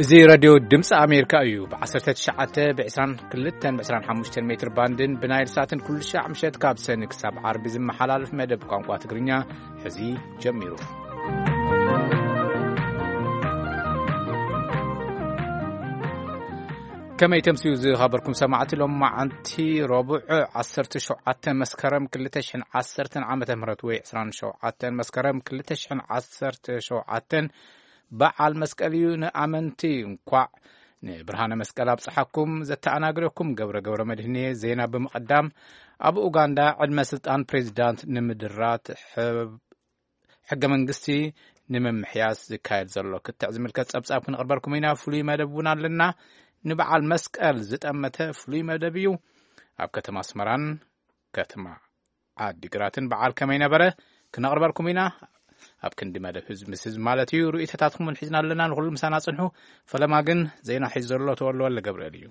እዚ ሬድዮ ድምፂ ኣሜሪካ እዩ። ብ19፣ ብ22፣ ብ25 ሜትር ባንድን ብናይል ሳትን ኩሉ ሻዕ ምሸት ካብ ሰኒ ክሳብ ዓርቢ ዝመሓላለፍ መደብ ቋንቋ ትግርኛ ሕዚ ጀሚሩ። ከመይ ተምስዩ ዝኸበርኩም ሰማዕቲ፣ ሎም መዓንቲ ረቡዕ 17 መስከረም 2010 ዓመተ ምህረት ወይ 27 መስከረም 2017 በዓል መስቀል እዩ። ንኣመንቲ እንኳዕ ንብርሃነ መስቀል ኣብጽሓኩም። ዘተኣናግደኩም ገብረ ገብረ መድህን እየ። ዜና ብምቕዳም፣ ኣብ ኡጋንዳ ዕድመ ስልጣን ፕሬዚዳንት ንምድራት ሕብ-፣ ሕገ መንግስቲ ንምምሕያስ ዝካየድ ዘሎ ክትዕ ዝምልከት ጸብጻብ ክንቕርበልኩም ኢና። ፍሉይ መደብ እውን ኣለና። ንበዓል መስቀል ዝጠመተ ፍሉይ መደብ እዩ። ኣብ ከተማ ኣስመራን ከተማ ዓዲግራትን በዓል ከመይ ነበረ ክነቕርበልኩም ኢና። ኣብ ክንዲ መደብ ህዝብ ምስ ህዝብ ማለት እዩ። ርእይቶታትኩም እውን ሒዝና ኣለና። ንኹሉ ምሳና ጽንሑ። ፈለማ ግን ዜና ሒዙ ዘሎ ተወልደ ወልደ ገብርኤል እዩ።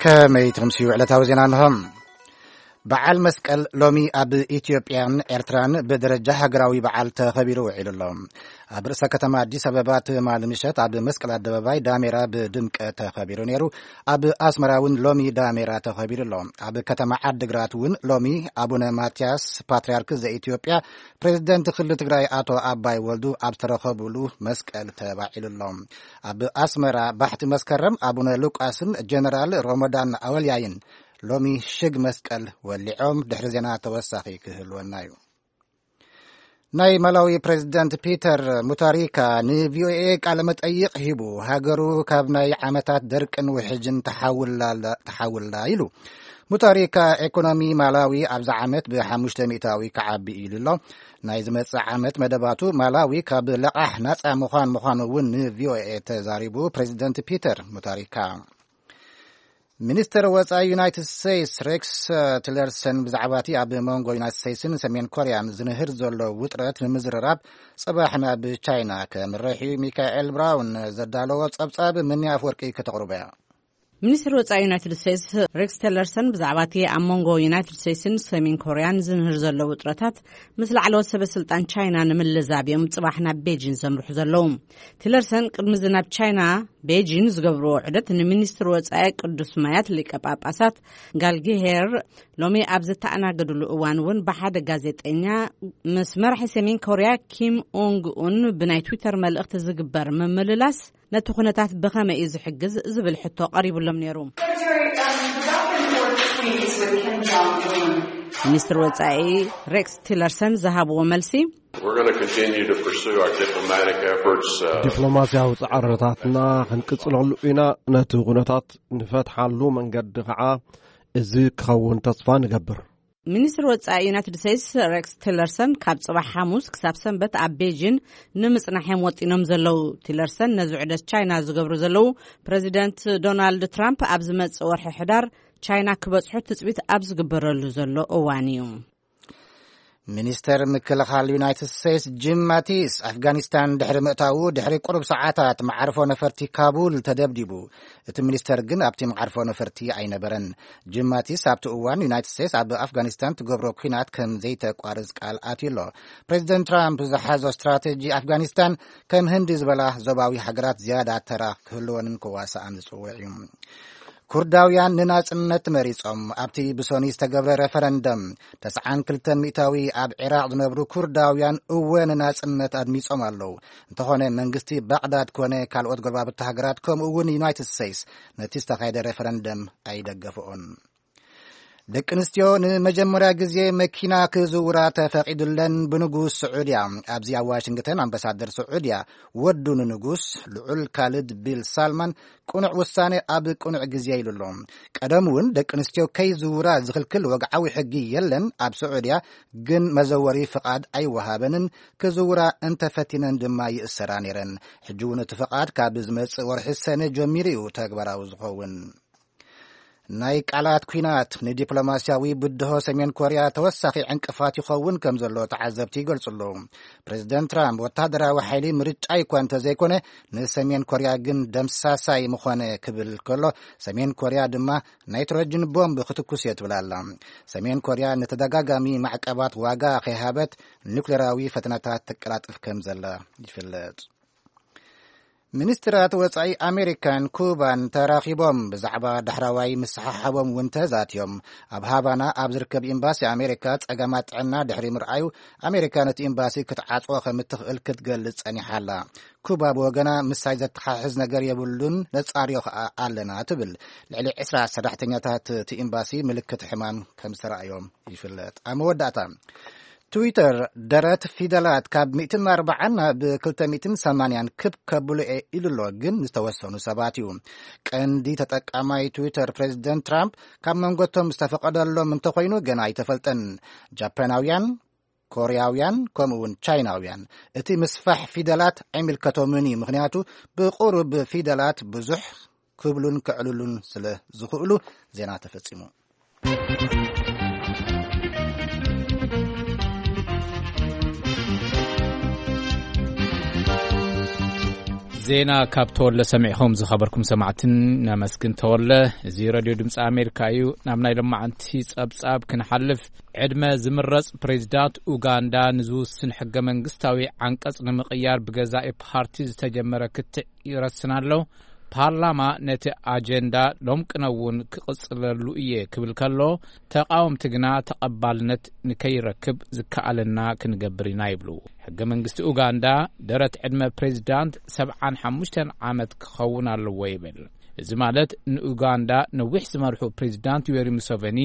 ከመይ ትምስዩ ዕለታዊ ዜና እንሆ። በዓል መስቀል ሎሚ ኣብ ኢትዮጵያን ኤርትራን ብደረጃ ሃገራዊ በዓል ተኸቢሩ ውዒሉ ኣሎ። ኣብ ርእሰ ከተማ ኣዲስ ኣበባ ትማሊ ምሸት ኣብ መስቀል ኣደባባይ ዳሜራ ብድምቀት ተኸቢሩ ነይሩ። ኣብ ኣስመራ እውን ሎሚ ዳሜራ ተኸቢሩ ኣሎ። ኣብ ከተማ ዓድግራት እውን ሎሚ ኣቡነ ማትያስ ፓትርያርክ ዘኢትዮጵያ፣ ፕሬዝደንት ክልል ትግራይ ኣቶ ኣባይ ወልዱ ኣብ ዝተረኸቡሉ መስቀል ተባዒሉ ኣሎ። ኣብ ኣስመራ ባሕቲ መስከረም ኣቡነ ሉቃስን ጀነራል ሮሞዳን ኣወልያይን ሎሚ ሽግ መስቀል ወሊዖም። ድሕሪ ዜና ተወሳኺ ክህልወና እዩ። ናይ ማላዊ ፕሬዝደንት ፒተር ሙታሪካ ን ቪ ኦ ኤ ቃለ መጠይቕ ሂቡ፣ ሃገሩ ካብ ናይ ዓመታት ደርቅን ውሕጅን ተሓውላ፣ ተሓውላ ኢሉ። ሙታሪካ፣ ኤኮኖሚ ማላዊ ኣብዚ ዓመት ብ5 ሚእታዊ ክዓቢ ኢሉ ኣሎ። ናይ ዝመጽእ ዓመት መደባቱ ማላዊ ካብ ለቓሕ ናጻ ምዃን ምዃኑ እውን ን ቪ ኦ ኤ ተዛሪቡ ፕሬዝደንት ፒተር ሙታሪካ። ሚኒስተር ወጻኢ ዩናይትድ ስቴትስ ሬክስ ቲለርሰን ብዛዕባ እቲ ኣብ መንጎ ዩናይትድ ስቴትስን ሰሜን ኮርያን ዝንህር ዘሎ ውጥረት ንምዝርራብ ጽባሕ ናብ ቻይና ከምርሕ እዩ። ሚካኤል ብራውን ዘዳለዎ ጸብጻብ ምኒ ኣፍወርቂ ከተቕርቦ እያ። ሚኒስትር ወጻኢ ዩናይትድ ስቴትስ ሬክስ ቲለርሰን ብዛዕባ እቲ ኣብ መንጎ ዩናይትድ ስቴትስን ሰሜን ኮርያን ዝንህር ዘሎ ውጥረታት ምስ ላዕለዎት ሰበ ስልጣን ቻይና ንምልዛብ እዮም ጽባሕ ናብ ቤጂን ዘምርሑ ዘለዉ። ቲለርሰን ቅድሚ እዚ ናብ ቻይና ቤጂን ዝገብርዎ ዑደት፣ ንሚኒስትር ወጻኢ ቅዱስ ማያት ሊቀ ጳጳሳት ጋልጊሄር ሎሚ ኣብ ዝተኣናገድሉ እዋን እውን ብሓደ ጋዜጠኛ፣ ምስ መራሒ ሰሜን ኮርያ ኪም ኡንግ ኡን ብናይ ትዊተር መልእኽቲ ዝግበር ምምልላስ ነቲ ኩነታት ብኸመይ እዩ ዝሕግዝ ዝብል ሕቶ ቀሪቡሎም ነይሩ። Secretary, um, the back and forth tweets with Kim Jong-un። ሚኒስትር ወጻኢ ሬክስ ቲለርሰን ዝሃብዎ መልሲ፣ We're gonna continue to pursue our diplomatic efforts, uh, ዲፕሎማስያዊ ጻዕርታትና ክንቅጽለሉ ኢና። ነቲ ኩነታት ንፈትሓሉ መንገዲ ኸዓ እዚ ክኸውን ተስፋ ንገብር። ሚኒስትር ወጻኢ ዩናይትድ ስቴትስ ሬክስ ቲለርሰን ካብ ጽባሕ ሓሙስ ክሳብ ሰንበት ኣብ ቤጂን ንምጽናሕ እዮም ወጢኖም ዘለዉ። ቲለርሰን ነዚ ዑደት ቻይና ዝገብሩ ዘለዉ፣ ፕረዚደንት ዶናልድ ትራምፕ ኣብ ዝመጽእ ወርሒ ሕዳር ቻይና ክበጽሑ ትጽቢት ኣብ ዝግበረሉ ዘሎ እዋን እዩ። ሚኒስተር ምክልኻል ዩናይትድ ስቴትስ ጂም ማቲስ፣ ኣፍጋኒስታን ድሕሪ ምእታዉ፣ ድሕሪ ቁሩብ ሰዓታት መዓርፎ ነፈርቲ ካቡል ተደብዲቡ። እቲ ሚኒስተር ግን ኣብቲ መዓርፎ ነፈርቲ ኣይነበረን። ጂም ማቲስ ኣብቲ እዋን ዩናይትድ ስቴትስ ኣብ ኣፍጋኒስታን ትገብሮ ኲናት ከም ዘይተቋርጽ ቃል ኣትዩ ኣሎ። ፕሬዚደንት ትራምፕ ዝሓዞ ስትራቴጂ ኣፍጋኒስታን ከም ህንዲ ዝበላ ዞባዊ ሃገራት ዝያዳ ተራ ክህልወንን ክዋስኣን ዝጽውዕ እዩ። ኩርዳውያን ንናጽነት መሪጾም። ኣብቲ ብሶኒ ዝተገብረ ሬፈረንደም፣ 92% ኣብ ዒራቕ ዝነብሩ ኩርዳውያን እወ ንናጽነት ኣድሚጾም ኣለዉ። እንተኾነ መንግስቲ ባቕዳድ ኮነ ካልኦት ጎረባብቲ ሃገራት ከምኡ እውን ዩናይትድ ስቴትስ ነቲ ዝተኻየደ ሬፈረንደም ኣይደገፍኦን። ደቂ ኣንስትዮ ንመጀመርያ ግዜ መኪና ክዝውራ ተፈቒዱለን ብንጉስ ስዑድያ። ኣብዚ ኣብ ዋሽንግተን ኣምባሳደር ስዑድያ ወዱ ንንጉስ ልዑል ካልድ ቢል ሳልማን ቅኑዕ ውሳነ ኣብ ቅኑዕ ግዜ ኢሉ ኣሎ። ቀደም እውን ደቂ ኣንስትዮ ከይዝውራ ዝኽልክል ወግዓዊ ሕጊ የለን ኣብ ስዑድያ፣ ግን መዘወሪ ፍቓድ ኣይወሃበንን፣ ክዝውራ እንተፈቲነን ድማ ይእሰራ ነይረን። ሕጂ እውን እቲ ፍቓድ ካብ ዝመጽእ ወርሒ ሰነ ጀሚሩ እዩ ተግባራዊ ዝኸውን። ናይ ቃላት ኲናት ንዲፕሎማስያዊ ብድሆ ሰሜን ኮርያ ተወሳኺ ዕንቅፋት ይኸውን ከም ዘሎ ተዓዘብቲ ይገልጹ ኣለዉ። ፕሬዚደንት ትራምፕ፣ ወታደራዊ ሓይሊ ምርጫ ይኳ እንተዘይኮነ፣ ንሰሜን ኮርያ ግን ደምሳሳይ ምኾነ ክብል ከሎ፣ ሰሜን ኮርያ ድማ ናይትሮጅን ቦምብ ክትኩስ እየ ትብል ኣላ። ሰሜን ኮርያ ንተደጋጋሚ ማዕቀባት ዋጋ ከይሃበት፣ ኒውክሌራዊ ፈተነታት ተቀላጥፍ ከም ዘላ ይፍለጥ። ሚኒስትራት ወጻኢ ኣሜሪካን ኩባን ተራኺቦም ብዛዕባ ዳሕራዋይ ምስሓሓቦም እውን ተዛትዮም። ኣብ ሃቫና ኣብ ዝርከብ ኤምባሲ ኣሜሪካ ጸገማት ጥዕና ድሕሪ ምርኣዩ፣ ኣሜሪካ ነቲ ኤምባሲ ክትዓጽዎ ከም እትኽእል ክትገልጽ ጸኒሓ ኣላ። ኩባ ብወገና፣ ምሳይ ዘተሓሕዝ ነገር የብሉን፣ ነጻርዮ ከኣ ኣለና ትብል። ልዕሊ ዕስራ ሰራሕተኛታት እቲ ኤምባሲ ምልክት ሕማም ከም ዝተራእዮም ይፍለጥ። ኣብ መወዳእታ፣ ትዊተር ደረት ፊደላት ካብ ሚእትን ኣርባዓን ናብ ክልተ ሚእትን ሰማንያን ክብ ከብሎ እየ ኢሉ ኣሎ፣ ግን ዝተወሰኑ ሰባት እዩ። ቀንዲ ተጠቃማይ ትዊተር ፕሬዚደንት ትራምፕ ካብ መንጎቶም ዝተፈቐደሎም እንተኾይኑ ገና ኣይተፈልጠን። ጃፓናውያን፣ ኮርያውያን፣ ከምኡ እውን ቻይናውያን እቲ ምስፋሕ ፊደላት ኣይምልከቶምን እዩ፣ ምኽንያቱ ብቁሩብ ፊደላት ብዙሕ ክብሉን ክዕልሉን ስለ ዝኽእሉ። ዜና ተፈጺሙ። ዜና ካብ ተወለ ሰሚዕኹም ዝኸበርኩም ሰማዕትን ነመስግን ተወለ። እዚ ረድዮ ድምፂ ኣሜሪካ እዩ። ናብ ናይ ሎማዓንቲ ጸብጻብ ክንሓልፍ፣ ዕድመ ዝምረጽ ፕሬዚዳንት ኡጋንዳ ንዝውስን ሕገ መንግስታዊ ዓንቀጽ ንምቕያር ብገዛኢ ፓርቲ ዝተጀመረ ክትዕ ይረስን ኣሎ። ፓርላማ ነቲ ኣጀንዳ ሎም ቅነ እውን ክቕጽለሉ እየ ክብል ከሎ፣ ተቓወምቲ ግና ተቐባልነት ንከይረክብ ዝከኣለና ክንገብር ኢና ይብሉ። ሕገ መንግስቲ ኡጋንዳ ደረት ዕድመ ፕሬዚዳንት ሰብዓን ሓሙሽተን ዓመት ክኸውን ኣለዎ ይብል። እዚ ማለት ንኡጋንዳ ነዊሕ ዝመርሑ ፕሬዚዳንት ዩዌሪ ሙሰቨኒ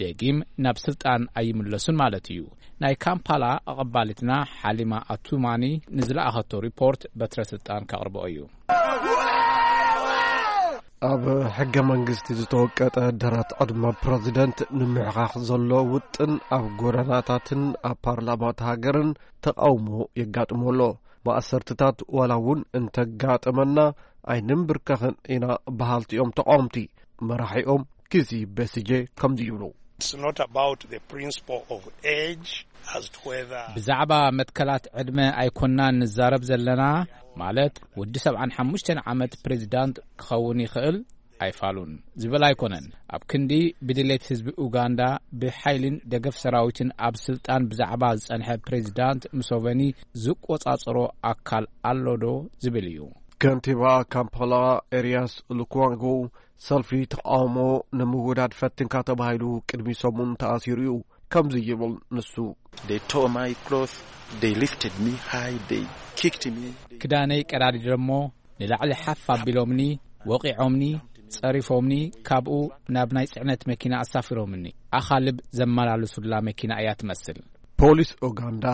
ደጊም ናብ ስልጣን ኣይምለሱን ማለት እዩ። ናይ ካምፓላ ኣቐባሊትና ሓሊማ ኣቱማኒ ንዝለኣኸቶ ሪፖርት በትረ ስልጣን ከቕርቦ እዩ። ኣብ ሕገ መንግስቲ ዝተወቀጠ ደረት ዕድመ ፕረዚደንት ንምሕኻኽ ዘሎ ውጥን ኣብ ጎደናታትን ኣብ ፓርላማት ሃገርን ተቓውሞ የጋጥሞ ኣሎ። ማእሰርትታት ዋላ እውን እንተጋጠመና ኣይንንብርከኽን ኢና በሃልቲ እዮም ተቓወምቲ። መራሒኦም ኪዚ ቤሲጄ ከምዚ ይብሉ። It's not about the principle of age as to whether ብዛዕባ መትከላት ዕድመ ኣይኮናን ንዛረብ ዘለና፣ ማለት ወዲ ሰብዓን ሓሙሽተን ዓመት ፕሬዚዳንት ክኸውን ይኽእል ኣይፋሉን ዝብል ኣይኮነን። ኣብ ክንዲ ብድሌት ህዝቢ ኡጋንዳ ብሓይልን ደገፍ ሰራዊትን ኣብ ስልጣን ብዛዕባ ዝጸንሐ ፕሬዚዳንት ሙሶቨኒ ዝቆጻጸሮ ኣካል ኣሎ ዶ ዝብል እዩ። ከንቲባ ካምፓላ ኤርያስ ሉክዋንጎ ሰልፊ ተቃውሞ ንምውዳድ ፈትንካ ተባሂሉ ቅድሚ ሰሙን ተኣሲሩ እዩ። ከምዚ ይብል ንሱ። They tore my cloth, they lifted me high, they kicked me. ክዳነይ ቀዳዲዶሞ ንላዕሊ ሓፍ ኣቢሎምኒ፣ ወቒዖምኒ፣ ጸሪፎምኒ፣ ካብኡ ናብ ናይ ጽዕነት መኪና ኣሳፊሮምኒ። ኣኻልብ ዘመላልሱላ መኪና እያ ትመስል። ፖሊስ ኡጋንዳ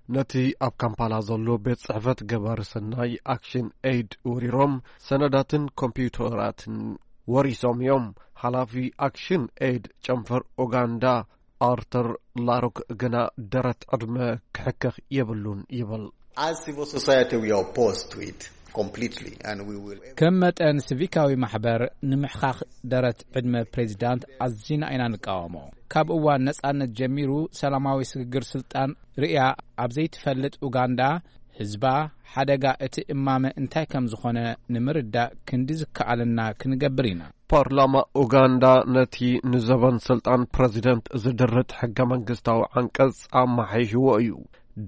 ነቲ ኣብ ካምፓላ ዘሎ ቤት ጽሕፈት ገባሪ ሰናይ ኣክሽን ኤይድ ወሪሮም ሰነዳትን ኮምፒውተራትን ወሪሶም እዮም። ሓላፊ ኣክሽን ኤይድ ጨንፈር ኡጋንዳ ኣርተር ላሮክ ግና ደረት ዕድመ ክሕከኽ የብሉን ይብል። As civil society, we are opposed to it completely, and we will ከም መጠን ሲቪካዊ ማሕበር ንምሕኻኽ ደረት ዕድመ ፕሬዚዳንት ኣዚና ኢና ንቃወሞ። ካብ እዋን ነጻነት ጀሚሩ ሰላማዊ ስግግር ስልጣን ርእያ ኣብ ዘይትፈልጥ ኡጋንዳ፣ ህዝባ ሓደጋ እቲ እማመ እንታይ ከም ዝኾነ ንምርዳእ ክንዲ ዝከኣለና ክንገብር ኢና። ፓርላማ ኡጋንዳ ነቲ ንዘበን ስልጣን ፕረዚደንት ዝድርት ሕገ መንግስታዊ ዓንቀጽ ኣመሓይሽዎ እዩ።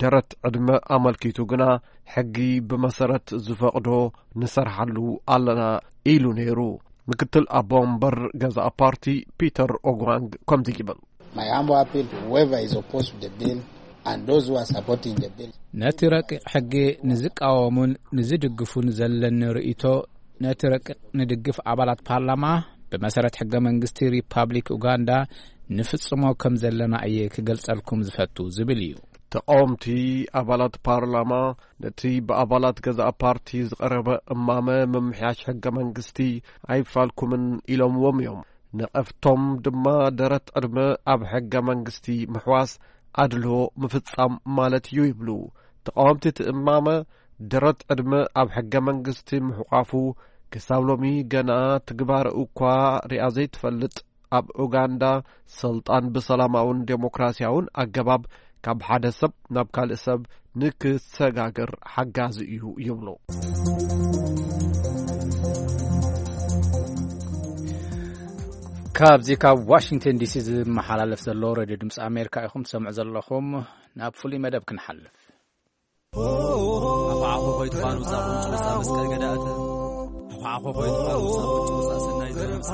ደረት ዕድመ ኣመልኪቱ ግና ሕጊ ብመሰረት ዝፈቕዶ ንሰርሓሉ ኣለና ኢሉ ነይሩ። ምክትል ኣቦ ወንበር ገዛእ ፓርቲ ፒተር ኦግዋንግ ከምዚ ይብል። My humble appeal to whoever is opposed to the bill and those who are supporting the bill. ነቲ ረቂቕ ሕጊ ንዝቃወሙን ንዝድግፉን ዘለኒ ርእይቶ፣ ነቲ ረቂቕ ንድግፍ ኣባላት ፓርላማ ብመሰረት ሕገ መንግስቲ ሪፓብሊክ ኡጋንዳ ንፍጽሞ ከም ዘለና እየ ክገልጸልኩም ዝፈቱ ዝብል እዩ። ተቃወምቲ ኣባላት ፓርላማ ነቲ ብኣባላት ገዛእ ፓርቲ ዝቐረበ እማመ ምምሕያሽ ሕገ መንግስቲ ኣይፋልኩምን ኢሎምዎም እዮም። ነቐፍቶም ድማ ደረት ዕድመ ኣብ ሕገ መንግስቲ ምሕዋስ ኣድሎ ምፍጻም ማለት እዩ ይብሉ። ተቃወምቲ እቲ እማመ ደረት ዕድመ ኣብ ሕገ መንግስቲ ምሕቋፉ ክሳብ ሎሚ ገና ትግባረ እኳ ሪኣ ዘይትፈልጥ፣ ኣብ ኡጋንዳ ስልጣን ብሰላማውን ዴሞክራሲያውን ኣገባብ ካብ ሓደ ሰብ ናብ ካልእ ሰብ ንክሰጋገር ሓጋዚ እዩ ይብሉ። ካብዚ ካብ ዋሽንግተን ዲሲ ዝመሓላለፍ ዘሎ ሬድዮ ድምፂ ኣሜሪካ ኢኹም ትሰምዑ ዘለኹም። ናብ ፍሉይ መደብ ክንሓልፍ። ኣኹዓኹ ኾይትፋኑ ዛኹም ጭውሳ መስቀል ገዳእተ። ኣኹዓኹ ኾይትፋኑ ዛኹም ጭውሳ ሰናይ ዘረብሳ።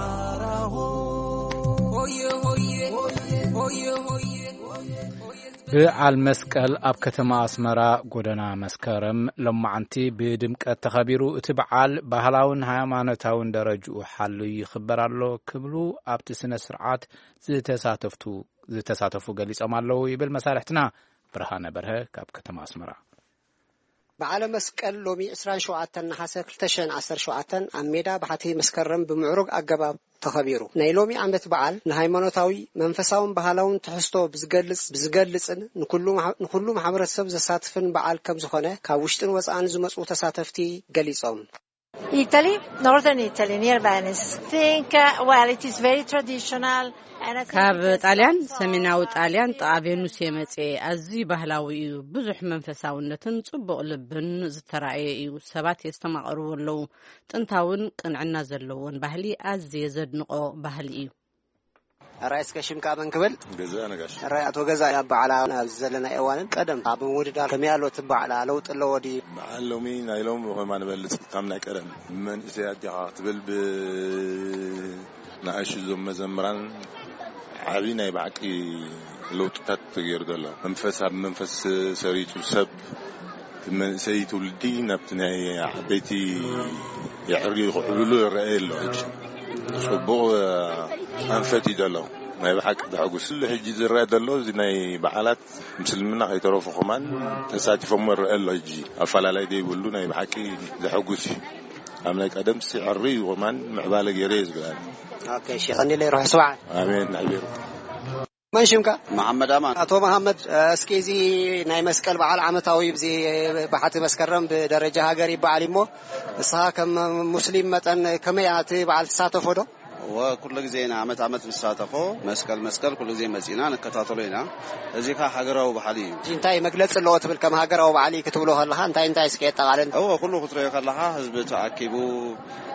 ሆየ ሆየ ሆየ ሆየ። በዓል መስቀል ኣብ ከተማ ኣስመራ ጎደና መስከረም ሎማዓንቲ ብድምቀት ተኸቢሩ። እቲ በዓል ባህላውን ሃይማኖታውን ደረጅኡ ሓልዩ ይኽበር ኣሎ ክብሉ ኣብቲ ስነ ስርዓት ዝተሳተፍቱ ዝተሳተፉ ገሊጾም ኣለዉ ይብል መሳርሕትና ብርሃነ በርሀ ካብ ከተማ ኣስመራ። በዓለ መስቀል ሎሚ ዕስራን ሸውዓተን ነሓሰ ክልተ ሽሕን ዓሰርተ ሸውዓተን ኣብ ሜዳ ባሕቲ መስከረም ብምዕሩግ ኣገባብ ተኸቢሩ። ናይ ሎሚ ዓመት በዓል ንሃይማኖታዊ፣ መንፈሳውን ባህላውን ትሕዝቶ ብዝገልጽ፣ ብዝገልጽን ንኩሉ ማሕ-፣ ንኩሉ ማሕበረሰብ ዘሳትፍን በዓል ከም ዝኾነ ካብ ውሽጥን ወጻእን ዝመጹ ተሳተፍቲ ገሊጾም። Italy, northern Italy, near Venice. Think, uh, well, it is very traditional. And I think ካብ it has ጣልያን፣ some ሰሜናዊ ጣልያን፣ ጥቓ ቬኑስ እየ መጽኤ። ኣዝዩ ባህላዊ እዩ። ብዙሕ መንፈሳውነትን ጽቡቕ ልብን ዝተራእየ እዩ። ሰባት የስተማቕርዎ ኣለዉ። ጥንታውን ቅንዕና ዘለዎን ባህሊ ኣዝየ ዘድንቖ ባህሊ እዩ። ኣራይ እስከ ሽምካ መን ክብል? ገዛ ነጋሽ። ኣራይ ኣቶ ገዛ፣ ኣብ በዓላ ኣብዚ ዘለና እዋንን ቀደም ኣብ ምውድዳር ከመይ ኣሎ እቲ በዓላ? ለውጢ ኣለዎ ድዩ? በዓል ሎሚ ናይ ሎሚ ኾይማ ንበልጽ ካብ ናይ ቀደም። መንእሰይ ኣጃኻ ክትብል ብ ንኣሽቱ እዞም መዘምራን ዓቢ ናይ ብሓቂ ለውጥታት ተገይሩ ዘሎ። መንፈስ ኣብ መንፈስ ሰሪቱ ሰብ፣ እቲ መንእሰይ ትውልዲ ናብቲ ናይ ዓበይቲ የዕርዩ ክዕብሉ ይረኣይ ኣሎ። ሕጂ ጽቡቕ ኣንፈት እዩ ዘሎ። ናይ ብሓቂ ዘሐጉስ። ኩሉ ሕጂ ዝረአ ዘሎ እዚ ናይ በዓላት ምስልምና ከይተረፉ ከማን ተሳቲፎም ይረአ ኣሎ። ሕጂ ኣፈላላይ ዘይብሉ ናይ ብሓቂ ዘሐጉስ እዩ። ኣብ ናይ ቀደም ሲዕሪ እዩ ከማን ምዕባለ ገይረ እየ ዝብላኒ። ኦኬ፣ እሺ፣ ቀኒለይ ርሑስ በዓል። ኣሜን፣ ንዕቤሩ። መን ሽምካ? መሓመድ ኣማን። ኣቶ መሓመድ፣ እስኪ እዚ ናይ መስቀል በዓል ዓመታዊ እዚ ባሕቲ መስከረም ብደረጃ ሃገር ይበዓል እሞ፣ ንስኻ ከም ሙስሊም መጠን ከመይ እቲ በዓል ትሳተፎ ዶ? እወ፣ ኩሉ ግዜ ኢና ዓመት ዓመት ንሳተፎ። መስቀል መስቀል ኩሉ ግዜ መጺና ንከታተሎ ኢና። እዚ ከኣ ሃገራዊ ባህሊ እዩ። እዚ እንታይ መግለጺ ኣለዎ ትብል? ከም ሃገራዊ በዓል እዩ ክትብሎ ከለኻ እንታይ እንታይ እስኪ የጠቓልል? እወ፣ ኩሉ ክትሪኦ ከለኻ ህዝቢ ተኣኪቡ፣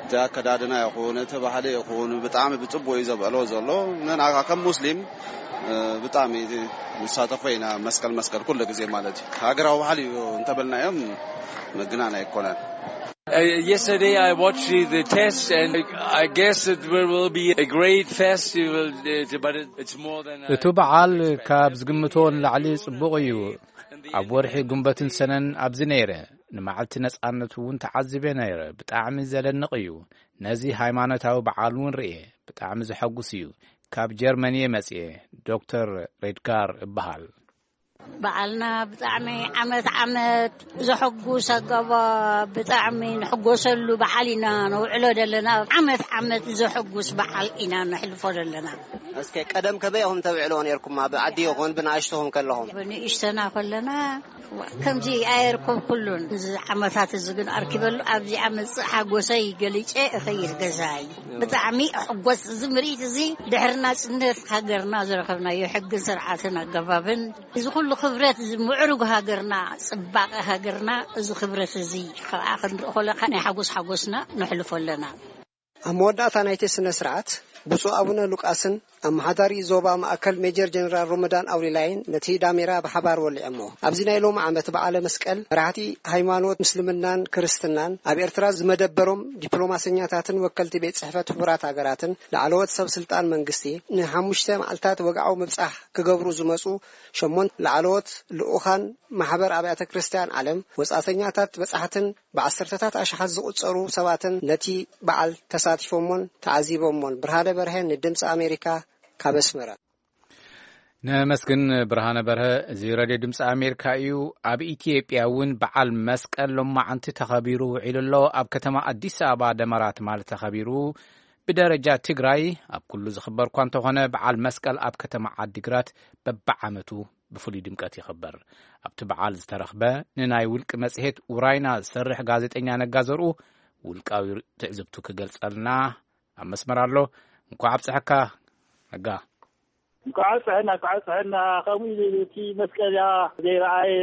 እቲ ኣከዳድና ይኹን፣ እቲ ባህሊ ይኹን ብጣዕሚ ብጽቡቕ እዩ ዘብዕሎ ዘሎ። ንሕና ከኣ ከም ሙስሊም፣ እ፣ ብጣዕሚ ንሳተፎ ኢና መስቀል መስቀል ኩሉ ግዜ ማለት እዩ። ሃገራዊ ባህሊ እዩ እንተበልናዮም ምግናን ኣይኮነን። Uh, yesterday I watched the, the test, and I, I guess it will, will be a great festival, uh, but it, it's more than I እቱ በዓል ካብ ዝግምቶ ንላዕሊ ጽቡቕ እዩ። ኣብ ወርሒ ጉንበትን ሰነን ኣብዚ ነይረ። ንመዓልቲ ነጻነት እውን ተዓዚበ ነይረ። ብጣዕሚ ዘደንቕ እዩ። ነዚ ሃይማኖታዊ በዓል እውን ርእየ። ብጣዕሚ ዘሐጉስ እዩ። ካብ ጀርመን እየ መጽየ። ዶክተር ሬድጋር እበሃል። በዓልና ብጣዕሚ ዓመት ዓመት ዘሐጉስ ኣገባ ብጣዕሚ ንሕጎሰሉ በዓል ኢና ነውዕሎ ዘለና። ዓመት ዓመት ዘሐጉስ በዓል ኢና ነሕልፎ ዘለና። እስከ ቀደም ከመይ ኢኹም ተብዕልዎ ነይርኩም? ኣብ ዓዲ ይኹን ብንኣሽቱኹም ከለኹም? ብንእሽተና ከለና ከምዚ ኣየርከብኩሉን። እዚ ዓመታት እዚ ግን ኣርኪበሉ ኣብዚኣ መጽእ ሓጎሰይ ገሊጨ እኸይድ ገዛይ። ብጣዕሚ እሕጎስ። እዚ ምርኢት እዚ ድሕሪ ናጽነት ሃገርና ዝረኸብናዮ ሕግን ስርዓትን ኣገባብን፣ እዚ ኩሉ ክብረት፣ እዚ ምዕሩግ ሃገርና፣ ጽባቐ ሃገርና፣ እዚ ክብረት እዚ ከኣ ክንርኢ ከለና ናይ ሓጎስ ሓጎስና ነሕልፎ ኣለና። ኣብ መወዳእታ ናይቲ ስነ ስርዓት፣ ብፁዕ ኣቡነ ሉቃስን ኣመሓዳሪ ዞባ ማእከል ሜጀር ጀነራል ሮመዳን ኣውሊላይን ነቲ ዳሜራ ብሓባር ወሊዖሞ። ኣብዚ ናይ ሎሚ ዓመት በዓለ መስቀል፣ መራሕቲ ሃይማኖት ምስልምናን ክርስትናን፣ ኣብ ኤርትራ ዝመደበሮም ዲፕሎማሰኛታትን ወከልቲ ቤት ጽሕፈት ሕቡራት ሃገራትን ላዕለዎት ሰብ ስልጣን መንግስቲ ንሓሙሽተ መዓልታት ወግዓዊ ምብጻሕ ክገብሩ ዝመጹ ሸሞንተ ላዕለዎት ልኡኻን ማሕበር ኣብያተ ክርስቲያን ዓለም፣ ወጻእተኛታት በጻሕትን ብዓሰርተታት ኣሽሓት ዝቑጸሩ ሰባትን ነቲ በዓል ተሳቲፎሞን ተዓዚቦሞን። ብርሃነ በርሀ ንድምፂ ኣሜሪካ ካብ ኣስመራ። ነመስግን ብርሃነ በርሀ። እዚ ሬድዮ ድምፂ ኣሜሪካ እዩ። ኣብ ኢትዮጵያ እውን በዓል መስቀል ሎማዓንቲ ተኸቢሩ ውዒሉ ኣሎ። ኣብ ከተማ ኣዲስ ኣበባ ደመራ ትማሊ ተኸቢሩ። ብደረጃ ትግራይ ኣብ ኩሉ ዝኽበር እኳ እንተኾነ፣ በዓል መስቀል ኣብ ከተማ ዓዲግራት በብዓመቱ ብፍሉይ ድምቀት ይኽበር። ኣብቲ በዓል ዝተረኽበ ንናይ ውልቂ መጽሔት ውራይና ዝሰርሕ ጋዜጠኛ ነጋ ዘርኡ፣ ውልቃዊ ትዕዝብቱ ክገልጸልና ኣብ መስመር ኣሎ። እንኳዕ ኣብጽሐካ ነጋ። እንኳዕ ኣብጽሐና፣ እንኳዕ ኣብጽሐና። ከምኡ ኢሉ እቲ መስቀልያ ዘይረኣየ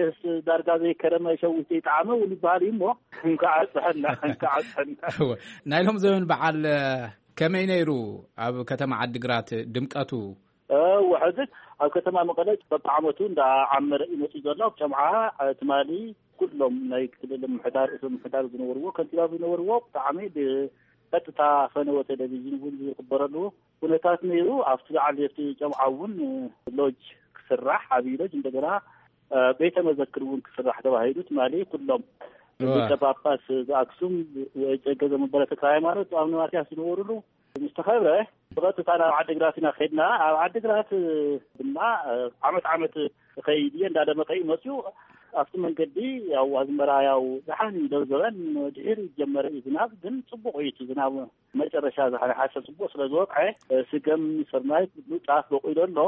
ዳርጋ ዘይከረመ ሸዊት ዘይጠዓመ እውን ይበሃል እዩ እሞ፣ እንኳዕ ኣብጽሐና፣ እንኳዕ ኣብጽሐና። እወ። ናይ ሎም ዘበን በዓል ከመይ ነይሩ? ኣብ ከተማ ዓዲግራት ድምቀቱ? እወ፣ ሕዚ ኣብ ከተማ መቐለ በብዓመቱ እንዳዓመረ እዩ መፂኡ ዘሎ። ኣብ ጨምዓ ትማሊ ኩሎም ናይ ክልል ምሕዳር፣ እቶም ምሕዳር ዝነበርዎ፣ ከንቲባ ዝነበርዎ፣ ብጣዕሚ ብቀጥታ ፈነወ ቴሌቪዥን እውን ዝኽበረሉ ኩነታት ነይሩ። ኣብቲ በዓል ኣብቲ ጨምዓ እውን ሎጅ ክስራሕ፣ ዓብዪ ሎጅ እንደገና ቤተ መዘክር እውን ክስራሕ ተባሂሉ ትማሊ ኩሎም እወ። ሊቀ ጳጳስ ዘኣክሱም፣ ወእጨገ ዘመንበረ ተክለ ሃይማኖት፣ ኣቡነ ማትያስ ዝነበሩሉ ምስ ተኸብረ፣ ብቐጥታ ናብ ዓዲግራት ኢና ከድና። ኣብ ዓዲግራት ድማ ዓመት ዓመት ኸይድ እየ እንዳደመቀ እዩ መፅዩ። ኣብቲ መንገዲ ያው ኣዝመራ ያው ደሓን እዩ፣ ደብዘበን ድሒሩ ዝጀመረ እዩ ዝናብ፣ ግን ፅቡቕ እዩ እቲ ዝናብ። መጨረሻ ዝሓ-፣ ሓሰር ጽቡቕ ስለ ዝወቕዐ፣ ስገም፣ ስርናይ፣ ኩሉ ጣፍ በቂሉ ኣሎ።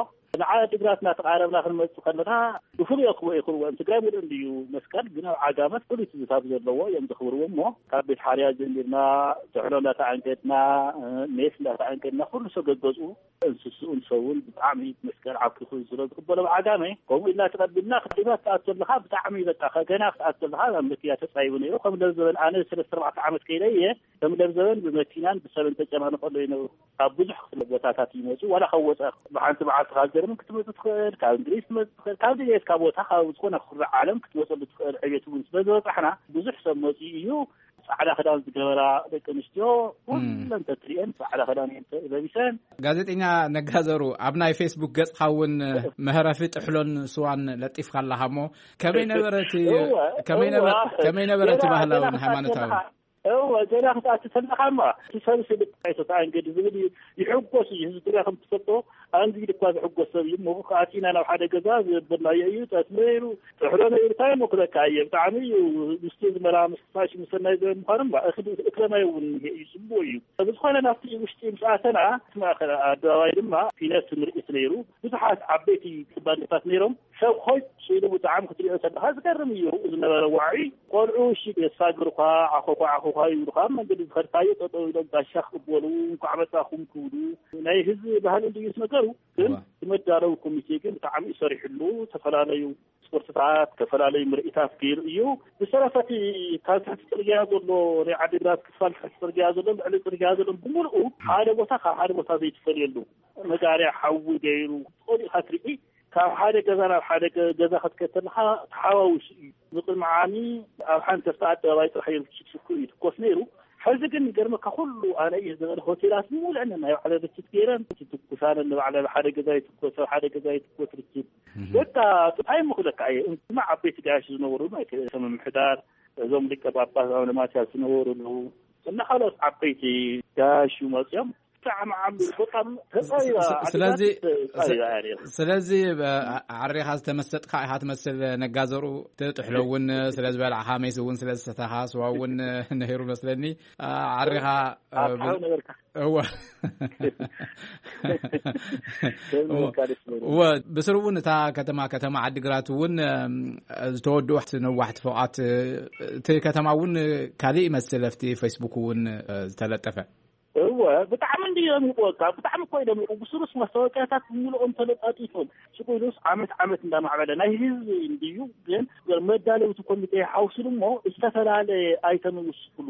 ንዓዲ ግራት እናተቓረብና ክንመጽእ ከለና፣ ብፍሉይ ክብኡ ይኽርዎ እዮም። ትግራይ ምሉእ እንድዩ መስቀል፣ ግን ኣብ ዓጋመ ፍሉይ ትዝታ ዘለዎ እዮም ዘኽብርዎ እሞ፣ ካብ ቤት ሓርያ ጀሚርና፣ ጥሕሎ እንዳተኣንገድና፣ ሜስ እንዳተኣንገድና፣ ኩሉ ሰብ ገገዝኡ፣ እንስስኡን ሰውን ብጣዕሚ መስቀል ዓኪኹ ስለ ዝቕበሎ ኣብ ዓጋመ፣ ከምኡ ኢልና ተቐቢልና፣ ክዲማ ክትኣቱ ኣለኻ፣ ብጣዕሚ በቃ፣ ገና ክትኣቱ ኣለኻ፣ ኣብ መኪና ተጻይቡ ነይሩ። ከም ለብ ዝበል ኣነ ሰለስተ ኣርባዕተ ዓመት ከይደ እየ። ከም ለብ ዘበን ብመኪናን ብሰብን ተጨናንቆ ኣሎ ይነብሩ። ካብ ብዙሕ ክፍለ ቦታታት ይመጹ። ዋላ ካብ ወጻኢ ብሓንቲ መዓልቲ ካብ ጀርመን ክትመጽእ ትኽእል፣ ካብ እንግሊዝ ክትመጽእ ትኽእል፣ ካብ ድሌትካ ቦታ ካብ ዝኾነ ክፍለ ዓለም ክትመጸሉ ትኽእል ዕቤት እውን ስለ ዝበጻሕና ብዙሕ ሰብ መጺኡ እዩ። ጻዕዳ ክዳን ዝገበራ ደቂ ኣንስትዮ እም። ኩለን ተትሪኤን ጻዕዳ ክዳን እየን ተ-፣ ለቢሰን። ጋዜጠኛ ነጋዘሩ፣ ኣብ ናይ ፌስቡክ ገጽካ እውን መህረፊ ጥሕሎን ስዋን ለጢፍካ ኣለኻ እሞ፣ ከመይ ነበረ እቲ፣ እወ፣ ከመይ ነበረ፣ እወ። ከመይ ነበረ እቲ ገና፣ ባህላውን ገና ክትኣቱ ሃይማኖታውን? ከለኻ፣ እወ፣ ገና ክትኣቱ ከለኻ እማ፣ እቲ ሰብ ስልጣ ኣይተተኣንገድ ዝብል እዩ። ይሕጎስ እዩ። ህዝቢ ትግራይ ከም ትፈልጦ፣ ኣንጊድ እኳ ዝሕጎስ ሰብ እዩ። እሞ ኣቲና ናብ ሓደ ገዛ ዝበልናዮ እዩ። ጠስሚ ነይሩ፣ ጥሕሎ ነይሩ፣ እንታይ እሞ ክለካ እየ። ብጣዕሚ እዩ ምስቲ ዝመላ ምስ ፋሽ ምሰናይ ዘበን ምዃኑ እማ፣ እኽሊ፣ እክለ ማይ እውን እኒሄ እዩ። ጽቡቕ እዩ። ብዝኾነ ናብቲ ውሽጢ ምስ ኣተና፣ እቲ ማእከል ኣደባባይ ድማ ፊነት ምርኢት ነይሩ። ብዙሓት ዓበይቲ ባንድታት ነይሮም። ሰብ ሆጭ ኢሉ ብጣዕሚ ክትሪኦ ከለኻ ዝገርም እዩ ዝነበረ ዋዒ። ቆልዑ እሺ የሳግሩኻ፣ ዓኾኳ ዓኾኳ ይብሉኻ። ኣብ መንገዲ ዝኸድካዮ ጠጠው ኢሎም ጋሻ ክቕበሉ፣ እንኳዕ መጻኹም ክብሉ ናይ ህዝቢ ባህሊ እንድዩ እቲ ነገሩ። ግን እዋ። እቲ መዳለዊ ኮሚቴ ግን ብጣዕሚ እዩ ሰሪሕሉ። ዝተፈላለዩ ስፖርትታት፣ ዝተፈላለዩ ምርኢታት ገይሩ እዩ። ብሰረፈ እቲ ካብ ትሕቲ ጽርግያ ዘሎ ናይ ዓዲግራት ክፋል ትሕቲ ጽርግያ ዘሎ ልዕሊ ጽርግያ ዘሎ ብምልኡ ሓደ ቦታ ካብ ሓደ ቦታ ዘይትፈልየሉ መጋርያ ሓዊ ገይሩ ጸሊእካ ትርኢ። ካብ ሓደ ገዛ ናብ ሓደ ገ-፣ ገዛ ክትከድ ከለኻ ተሓዋዊሱ እዩ። ንቅድሚ ዓሚ ኣብ ሓንቲ ኣደባባይ ጥራሕ እዩ ሽኩ ይትኮስ ነይሩ። ሕዚ ግን ይገርመካ፣ ኩሉ ኣነ እየ ዝበለ ሆቴላት ሙሉአን ናይ ባዕለ ርችት ገይረን፣ ትኩሳለን ንባዕለ፣ ሓደ ገዛ ይትኮስ፣ ኣብ ሓደ ገዛ ይትኮስ ርችት። እህ። በቃ፣ እንታይ ምኽለካ እየ፣ እንስማ ዓበይቲ ጋያሽ ዝነበሩ፣ ናይ ከ-፣ ምምሕዳር፣ እዞም ሊቀ ጳጳስ ኣቡነ ማትያስ ዝነበሩ ኣለዉ። እና ካልኦት ዓበይቲ ጋያሽ መፅኦም፣ ብጣዕሚ ዓሚሩ፣ በቃ፣ ተጻቢባ፣ ስ-፣ ስ-፣ ስለዚ፣ ዓዲታት ተጻቢባ እያ ነይራ። ስለዚ፣ ብ-፣ ዓ-፣ ዓሪኻ ዝተመሰጥካ ኢኻ ትመስል፣ ነጋዘሩ። እቲ ጥሕሎ እውን ስለ ዝበላዕኻ፣ ሜስ እውን ስለ ዝሰተኻ፣ ስዋ እውን ነይሩ መስለኒ። ዓ-፣ ዓሪኻ፣ ኣብ ብ-፣ ሓው ነበርካ። እወ። ደስ እወ። ይብለካ፣ ደስ ይብለካ። እወ፣ ብስሩ እውን እታ ከተማ፣ ከተማ ዓዲግራት እውን፣ እም፣ ዝተወድኡ ነዋሕቲ ፎቓት፣ እቲ ከተማ እውን ካሊእ ይመስል፣ ኣብቲ ፌስቡክ እውን፣ እ፣ ዝተለጠፈ። እወ፣ ብጣዕሚ እንድዩ ደሚቑ፣ በቃ፣ ብጣዕሚ እኮ እዩ ደሚቑ። ብስሩስ ማስታወቂያታት ብምልኦም ተለጣጢፎም። ሽቁ ኢሉስ ዓመት ዓመት እንዳማዕበለ ናይ ህዝቢ እንድዩ፣ ግን መዳለውቲ ኮሚቴ ሓውስሉ እሞ ዝተፈላለየ ኣይተም ይውስኩሉ።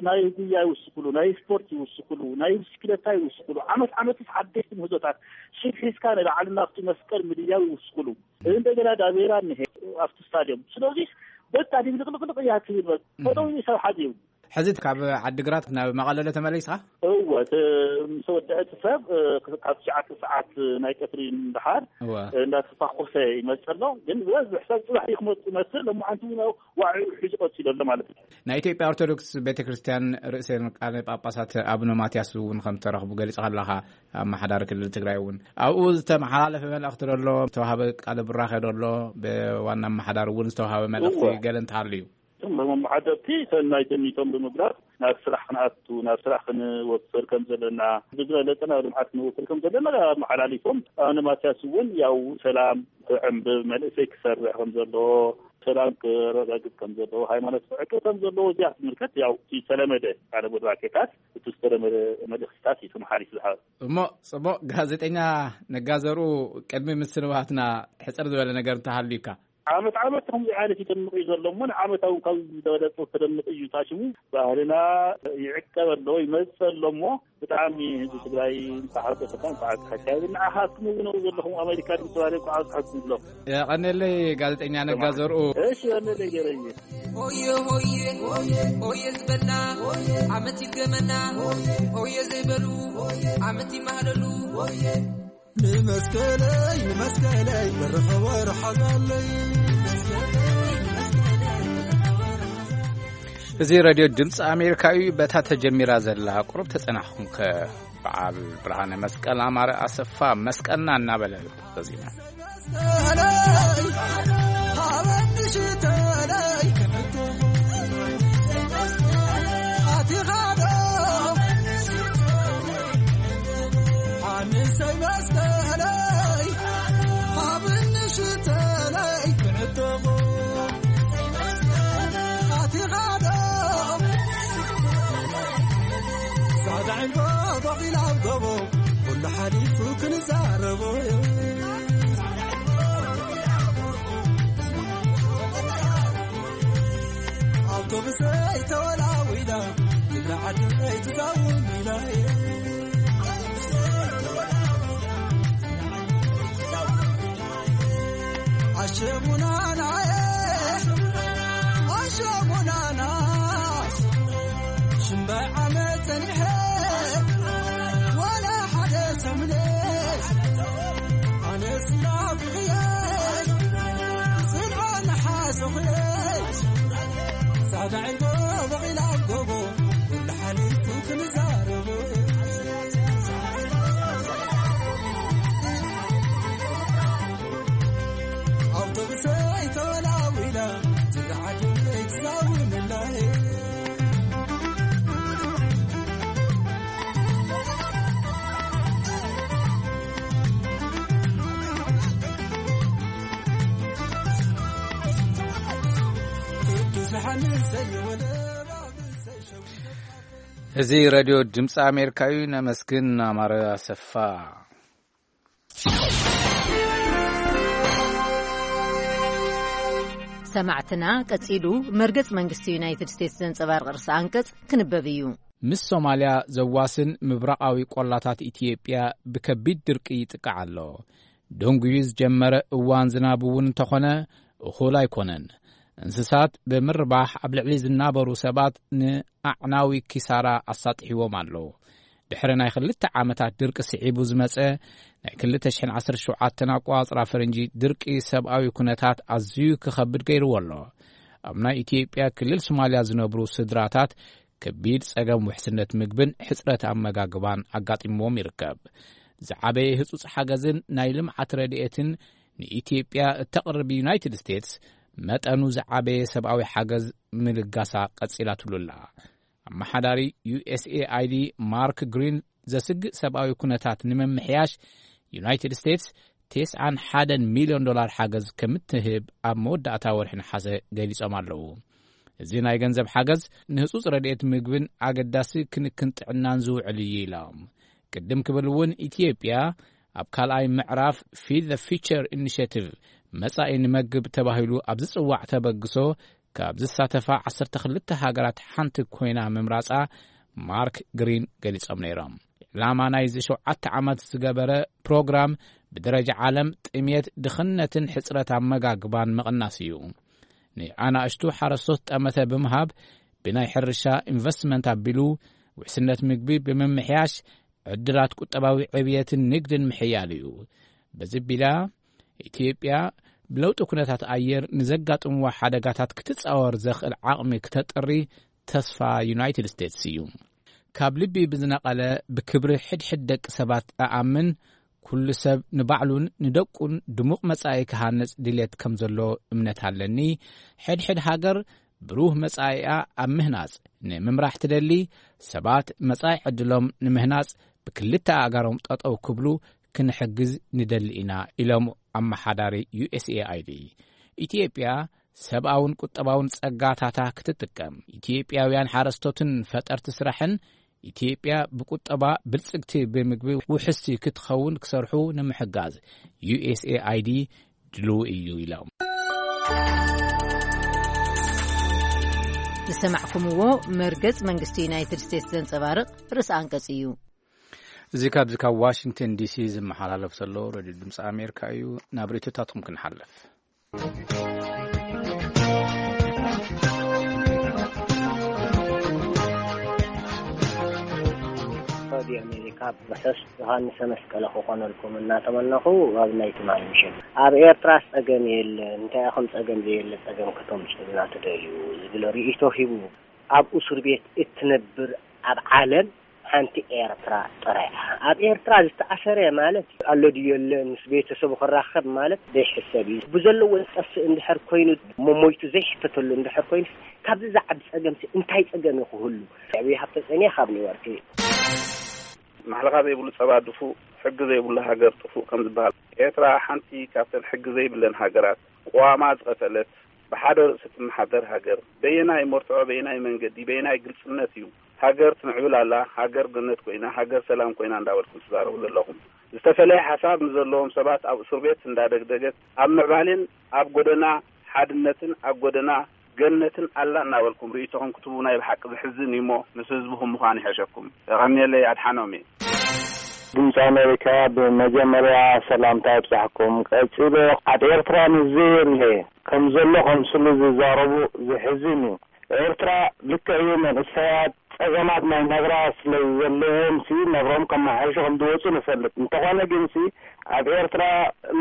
ናይ ጉያ ይውስኩሉ፣ ናይ ስፖርት ይውስኩሉ፣ ናይ ብስክለታ ይውስኩሉ። ዓመት ዓመትስ ሓደሽቲ ምህዞታት ሽግ ሒዝካ ንላዕሊ ናብቲ መስቀል ምድያው ይውስኩሉ። እንደገና ዳቤራ እኒሄ ኣብቲ ስታድዮም። ስለዚህ በቃ ድብልቅልቅልቅ እያ ትብል። በቃ እም። ጠጠው ኢሉ ሰብ ሓዲሩ። ሕዚ ካብ ዓዲግራት ናብ መቐለ ተመሊስኻ? እወ፣ እቲ ምስ ወድአ እቲ ሰብ፣ እ፣ ካብ ትሽዓተ ሰዓት ናይ ቀትሪ ንደሓር፣ እወ። እ፣ እንዳተፋኾሰ ይመጽእ ኣሎ። ግን ዝበዝሕ ሰብ ጽባሕ እዩ ክመጽእ ይመስል። ሎማዓንቲ እውን ኣብ ዋዒኡ ሒዙ ቀጺሉ ኣሎ ማለት እዩ። ናይ ኢትዮጵያ ኦርቶዶክስ ቤተ ክርስቲያን ርእሰ ሊቃነ ጳጳሳት ኣቡነ ማትያስ እውን ከም ዝተረኽቡ ገሊጽካ ኣለኻ። ኣመሓዳሪ ክልል ትግራይ እውን ኣብኡ ዝተመሓላለፈ መልእኽቲ ዶ ኣሎ? ዝተዋሃበ ቃለ ቡራኸ ዶ ኣሎ? ብዋና ኣመሓዳሪ እውን ዝተዋሃበ መልእኽቲ እወ። ገለ እንተሃልዩ? እቶም መመሓደርቲ ሰናይ ተሚቶም ብምግላጽ፣ ናብ ስራሕ ክንኣቱ፣ ናብ ስራሕ ክንወፍር ከም ዘለና፣ ብዝበለጸ ናብ ልምዓት ክንወፍር ከም ዘለና ኣመሓላሊፎም። ኣነ ማትያስ እውን ያው ሰላም ክዕንብብ፣ መንእሰይ ክሰርዕ ከም ዘለዎ፣ ሰላም ክረጋግጽ ከም ዘለዎ፣ ሃይማኖት ክዕቅብ ከም ዘለዎ እዚኣ ትምልከት። ያው እቲ ዝተለመደ ቃለ ቡራኬታት፣ እቲ ዝተለመደ መልእኽትታት እዩ ተመሓላሊፉ ዝሓ- እሞ ጽቡቕ፣ ጋዜጠኛ ነጋ ዘርኡ፣ ቅድሚ ምስንባትና ሕጽር ዝበለ ነገር እንተሃልዩካ? ዓመት ዓመት ከምዚ ዓይነት ይደምቕ እዩ ዘሎ እሞ፣ ንዓመት እውን ካብ ዝበለጸ ተደምቕ እዩ። ታሽሙ ባህልና ይዕቀብ ኣሎ፣ ይመጽእ ኣሎ እሞ፣ ብጣዕሚ ህዝቢ ትግራይ እንተሓጎሰካ፣ እንተዓቀካ። ንዓኻትኩም እውን ኣብኡ ዘለኹም ኣሜሪካ ድምፂ ተባለ እኮ ኣስሓትኩም ኣለኹ። የቐንየለይ ጋዜጠኛ ነጋ ዘርኡ። እሺ፣ የቐንየለይ ገረየ። ሆየ ሆየ ሆየ ዝበልና ዓመት ይገመና፣ ሆየ ዘይበሉ ዓመት ይማህለሉ። ንመስቀለይ ንመስቀለይ በረኸ ወርሓ ዛለይ። እዚ ሬድዮ ድምፂ ኣሜሪካ እዩ። በታ ተጀሚራ ዘላ ቁሩብ ተፀናሕኹም ከ፣ በዓል ብርሃነ መስቀል ኣማረ ኣሰፋ መስቀልና እናበለ ተዚመ። ጻዕዳ ዕንጎ ቦቒላ ኣብ ጎቦ፣ ኩሉ ሓሊፉ ክንዛረቦ። ኣውቶቡሰይ ተወላዊላ፣ ክብሪ ዓደይ ትዛውር ኢላ። ኣሸሙናናየ፣ ኣሸሙናና፣ ሽምባይ ዓመት ጸኒሐ፣ ዋላ ሓደ ሰሙነ፣ ኣነስ ናፍቕየ፣ ጽልኦ እናሓሰኹየ፣ ጻዕዳ ዒልቦ በቒላ ኣብ ጎቦ፣ ኩሉ ሓሊፉ ክንዛረቦ። ኣውቶቡሰይ ተወላዊላ፣ ዝለዓሉ ኣይትዛውምላይ። ቅዱስ ሓንሰይ ወለ እዚ ሬድዮ ድምፂ ኣሜሪካ እዩ። ነመስግን ኣማረ ኣሰፋ። ሰማዕትና፣ ቀጺሉ መርገጽ መንግስቲ ዩናይትድ ስቴትስ ዘንጸባርቕ ርእሰ ኣንቀጽ ክንበብ እዩ። ምስ ሶማልያ ዘዋስን ምብራቓዊ ቆላታት ኢትዮጵያ ብከቢድ ድርቂ ይጥቃዕ ኣሎ። ደንጉዩ ዝጀመረ እዋን ዝናብ እውን እንተኾነ እኹል ኣይኮነን። እንስሳት ብምርባሕ ኣብ ልዕሊ ዝናበሩ ሰባት ንኣዕናዊ ኪሳራ ኣሳጢሕዎም ኣሎ። ድሕሪ ናይ ክልተ ዓመታት ድርቂ ስዒቡ ዝመጸ ናይ ክልተ ሽሕን ዓሰርተ ሸውዓተን ኣቆጻጽራ ፈረንጂ ድርቂ ሰብኣዊ ኩነታት ኣዝዩ ክኸብድ ገይርዎ ኣሎ። ኣብ ናይ ኢትዮጵያ ክልል ሶማልያ ዝነብሩ ስድራታት ከቢድ ጸገም ውሕስነት ምግብን ሕጽረት ኣመጋግባን ኣጋጢምዎም ይርከብ። ዝዓበየ ህጹጽ ሓገዝን ናይ ልምዓት ረድኤትን ንኢትዮጵያ እተቕርብ ዩናይትድ ስቴትስ መጠኑ ዝዓበየ ሰብኣዊ ሓገዝ ምልጋሳ ቀጺላትሉ ኣላ። ኣመሓዳሪ ዩ ኤስ ኤ ኣይ ዲ ማርክ ግሪን ዘስግእ ሰብኣዊ ኩነታት ንምምሕያሽ ዩናይትድ ስቴትስ ተስዓን ሓደን ሚልዮን ዶላር ሓገዝ ከም እትህብ ኣብ መወዳእታ ወርሒ ነሓሰ ገሊጾም ኣለዉ። እዚ ናይ ገንዘብ ሓገዝ ንህጹጽ ረድኤት ምግብን ኣገዳሲ ክንክን ጥዕናን ዝውዕል እዩ ኢሎም። ቅድም ክብል እውን ኢትዮጵያ ኣብ ካልኣይ ምዕራፍ ፊድ ዘ ፊቸር ኢኒሽቲቭ መጻኢ ንመግብ ተባሂሉ ኣብ ዝጽዋዕ ተበግሶ ካብ ዝሳተፋ ዓሰርተ ክልተ ሃገራት ሓንቲ ኮይና ምምራጻ ማርክ ግሪን ገሊጾም ነይሮም። ዕላማ ናይዚ ሸውዓተ ዓመት ዝገበረ ፕሮግራም ብደረጃ ዓለም ጥሜት፣ ድኽነትን ሕጽረት ኣመጋግባን ምቕናስ እዩ። ንኣናእሽቱ ሓረስቶት ጠመተ ብምሃብ ብናይ ሕርሻ ኢንቨስትመንት ኣቢሉ ውሕስነት ምግቢ ብምምሕያሽ ዕድላት ቁጠባዊ ዕብየትን ንግድን ምሕያል እዩ። በዚ ቢላ ኢትዮጵያ ብለውጢ ኩነታት ኣየር ንዘጋጥምዋ ሓደጋታት ክትጻወር ዘኽእል ዓቕሚ ክተጥሪ ተስፋ ዩናይትድ ስቴትስ እዩ። ካብ ልቢ ብዝነቐለ ብክብሪ ሕድሕድ ደቂ ሰባት እኣምን፣ ኩሉ ሰብ ንባዕሉን ንደቁን ድሙቕ መጻኢ ክሃንጽ ድሌት ከም ዘሎ እምነት ኣለኒ። ሕድሕድ ሃገር ብሩህ መጻኢኣ ኣብ ምህናጽ ንምምራሕ ትደሊ፣ ሰባት መጻኢ ዕድሎም ንምህናጽ ብክልተ ኣእጋሮም ጠጠው ክብሉ ክንሕግዝ ንደሊ ኢና ኢሎም ኣመሓዳሪ ዩ ኤስ ኤ ኣይ ዲ። ኢትዮጵያ ሰብኣውን ቁጠባውን ጸጋታታ ክትጥቀም፣ ኢትዮጵያውያን ሓረስቶትን ፈጠርቲ ስራሕን ኢትዮጵያ ብቁጠባ ብልጽግቲ ብምግቢ ውሕስቲ ክትኸውን ክሰርሑ ንምሕጋዝ ዩ ኤስ ኤ ኣይ ዲ ድልው እዩ ኢሎም። ዝሰማዕኩምዎ መርገጽ መንግስቲ ዩናይትድ ስቴትስ ዘንጸባርቕ ርእሰ ኣንቀጽ እዩ። እዚ ካብዚ ካብ ዋሽንግተን ዲ ሲ ዝመሓላለፍ ዘሎ ሬድዮ ድምፂ ኣሜሪካ እዩ። ናብ ርእይቶታትኩም ክንሓልፍ። ሬድዮ ኣሜሪካ ርሑስ ዮሃንሰ መስቀለ ክኾነልኩም እናተመነኹ፣ ኣብ ናይ ትማሊ ምሸት ኣብ ኤርትራ ጸገም የለን፣ እንታይ ኢኹም ጸገም ዘየለ ጸገም ከተምጽኡልና ትደልዩ ዝብል ርእይቶ ሂቡ። ኣብ እስር ቤት እትነብር ኣብ ዓለም ሓንቲ ኤርትራ ጥራይ እያ። ኣብ ኤርትራ ዝተኣሰረ ማለት ኣሎ ድዩ የለን፣ ምስ ቤተሰቡ ክራኸብ ማለት ዘይሕሰብ እዩ። ብዘለዎ ዝጠፍእ እንድሕር ኮይኑ፣ መሞይቱ ዘይሕተተሉ እንድሕር ኮይኑ፣ ካብዚ ዝዓቢ ጸገምሲ እንታይ ጸገም እዩ ክህሉ? ዕብይ ሃብተ ጸኒየ ካብ ኒውዮርክ። ማሕለኻ ዘይብሉ ጸባ ድፉእ፣ ሕጊ ዘይብሉ ሃገር ጥፉእ ከም ዝበሃል፣ ኤርትራ ሓንቲ ካብተን ሕጊ ዘይብለን ሃገራት፣ ቅዋማ ዝቐተለት፣ ብሓደ ርእሲ ትመሓደር ሃገር፣ በየናይ መርትዖ፣ በየናይ መንገዲ፣ በየናይ ግልጽነት እዩ ሃገር ትምዕብል ኣላ፣ ሃገር ገነት ኮይና፣ ሃገር ሰላም ኮይና እንዳበልኩም ትዛረቡ ዘለኹም? ዝተፈለየ ሓሳብ ንዘለዎም ሰባት ኣብ እስር ቤት እንዳደግደገት፣ ኣብ ምዕባሌን ኣብ ጎደና ሓድነትን ኣብ ጎደና ገነትን ኣላ እናበልኩም ርእይቶኹም ክትህቡ ናይ ብሓቂ ዘሕዝን እዩ እሞ፣ ምስ ህዝብኹም ምዃን ይሕሸኩም። የቐንየለይ፣ ኣድሓኖም እየ። ድምፂ ኣሜሪካ፣ ብመጀመርያ ሰላምታ ይብጻሕኩም። ቀጺሉ፣ ኣብ ኤርትራ ንዘየለ ከም ዘሎ ከምስሉ ዝዛረቡ ዘሕዝን እዩ። ኤርትራ ልክዕ እዩ፣ መንእሰያት ጸገማት ናይ ናብራ ስለ ዘለዎም ሲ ናብርኦም ከመሓይሹ ከም ዝወጹ ንፈልጥ። እንተኾነ ግን ሲ ኣብ ኤርትራ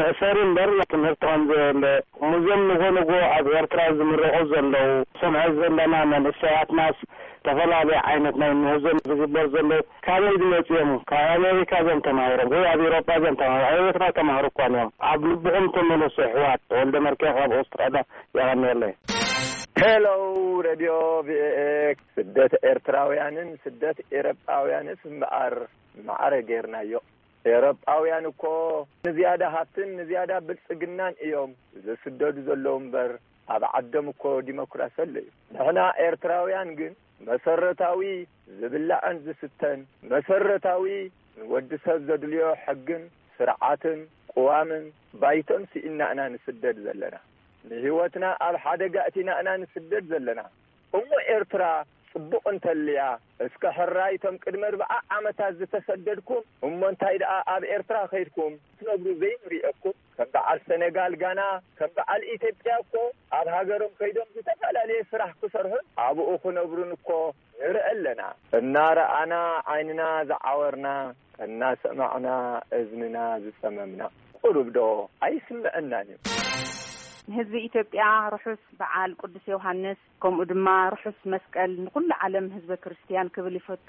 መእሰሪ እምበር ትምህርቲ ከም ዘየለ፣ እዞም ንጎ ንጎ ኣብ ኤርትራ ዝምረቑ ዘለዉ፣ ሰምዐ ዘለና መንእሰያትናስ ዝተፈላለየ ዓይነት ናይ ምህዞ ዝግበር ዘሎ ካበይ ዝመጽኡ እዮም? ካብ ኣሜሪካ እዮም ተማሂሮም ወይ ኣብ ኤውሮጳ እዮም ተማሂሮም? ኣብ ኤርትራ ተማህሩ እኳ እዮም። ኣብ ልብኹም ተመለሱ ኣሕዋት። ተወልደ መርኬ ካብ ኣውስትራልያ፣ የቐንየለይ። ሄሎ፣ ሬድዮ ቪ ኦ ኤ። ስደት ኤርትራውያንን ስደት ኤውሮጳውያንስ እምበኣር ማዕረ ጌርናዮ። ኤውሮጳውያን እኮ ንዝያዳ ሃብትን ንዝያዳ ብልጽግናን እዮም ዝስደዱ ዘለዉ እምበር፣ ኣብ ዓዶም እኮ ዲሞክራሲ ኣሎ እዩ። ንሕና ኤርትራውያን ግን መሰረታዊ ዝብላዕን ዝስተን፣ መሰረታዊ ንወዲ ሰብ ዘድልዮ ሕግን ስርዓትን ቅዋምን ባይቶን ስኢንና ኢና ንስደድ ዘለና። ንህይወትና ኣብ ሓደጋ እቲና ኢና ንስደድ ዘለና። እሞ ኤርትራ ጽቡቕ እንተልያ፣ እስከ ሕራይ እቶም ቅድሚ ኣርብዓ ዓመታት ዝተሰደድኩም፣ እሞ እንታይ ደኣ ኣብ ኤርትራ ከይድኩም ክትነብሩ ዘይንርእየኩም? ከም በዓል ሰነጋል ጋና፣ ከም በዓል ኢትዮጵያ እኮ ኣብ ሃገሮም ከይዶም ዝተፈላለየ ስራሕ ክሰርሑን ኣብኡ ክነብሩን እኮ ንርኢ ኣለና። እናረኣና ዓይንና ዝዓወርና፣ እናሰማዕና እዝንና ዝጸመምና፣ ቁሩብ ዶ ኣይስምዐናን እዩ? ንህዝቢ ኢትዮጵያ ርሑስ በዓል ቅዱስ ዮሃንስ፣ ከምኡ ድማ ርሑስ መስቀል ንኹሉ ዓለም ህዝበ ክርስትያን ክብል ይፈቱ።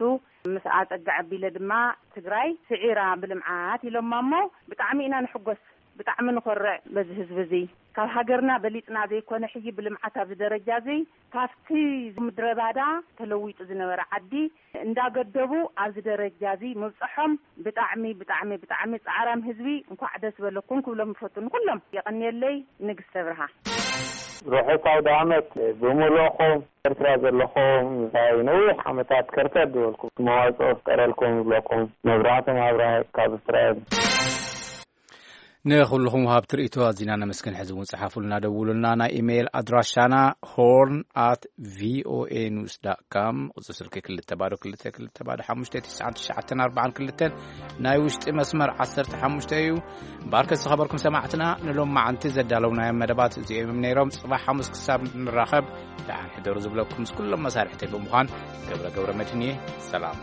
ምስ ኣጸጋ ኣቢለ ድማ ትግራይ ስዒራ ብልምዓት ኢሎማ እሞ ብጣዕሚ ኢና ንሕጎስ፣ ብጣዕሚ ንኾርዕ በዚ ህዝቢ እዚ። ካብ ሃገርና በሊጽና ዘይኮነ ሕጂ ብልምዓት ኣብዚ ደረጃ እዚ ካብቲ ምድረ ባዳ ተለዊጡ ዝነበረ ዓዲ እንዳገደቡ ኣብዚ ደረጃ እዚ ምብጽሖም ብጣዕሚ፣ ብጣዕሚ፣ ብጣዕሚ ጻዕራም ህዝቢ እንኳዕ ደስ በለኩም ክብሎም ይፈቱ ንኩሎም። የቐንየለይ። ንግስተ ብርሃ። ርሑስ ኣውደ ዓመት ብምልእኹም። ኤርትራ ዘለኹም፣ እንታይ ነዊሕ ዓመታት ከርተት ዝበልኩም መዋጽኦ ፍጠረልኩም ይብለኩም። መብራህቶም ኣብርሃ ካብ እስራኤል። ንኹልኹም ሃብቲ ርእይቶ ኣዚና ነመስግን። ሕዚ እውን ጽሓፉልና፣ ደውሉልና። ናይ ኢሜይል ኣድራሻና ሆርን ኣት ቪ ኦ ኤ ኒውስ ዳት ካም፣ ቁጽሪ ስልኪ ክልተ ባዶ ክልተ ክልተ ባዶ ሓሙሽተ ትሽዓን ትሽዓተን ኣርባዓን ክልተን፣ ናይ ውሽጢ መስመር ዓሰርተ ሓሙሽተ እዩ። እምበኣርከስ ዝኸበርኩም ሰማዕትና፣ ንሎማዓንቲ ዘዳለውናዮም መደባት እዚኦም እዮም ነይሮም። ጽባሕ ሓሙስ ክሳብ ንራኸብ፣ ደሓን ሕደሩ ዝብለኩም ምስ ኩሎም መሳርሕተይ ብምዃን ገብረ ገብረ መድህን እየ። ሰላም።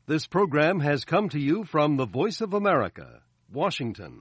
This program has come to you from the Voice of America, Washington.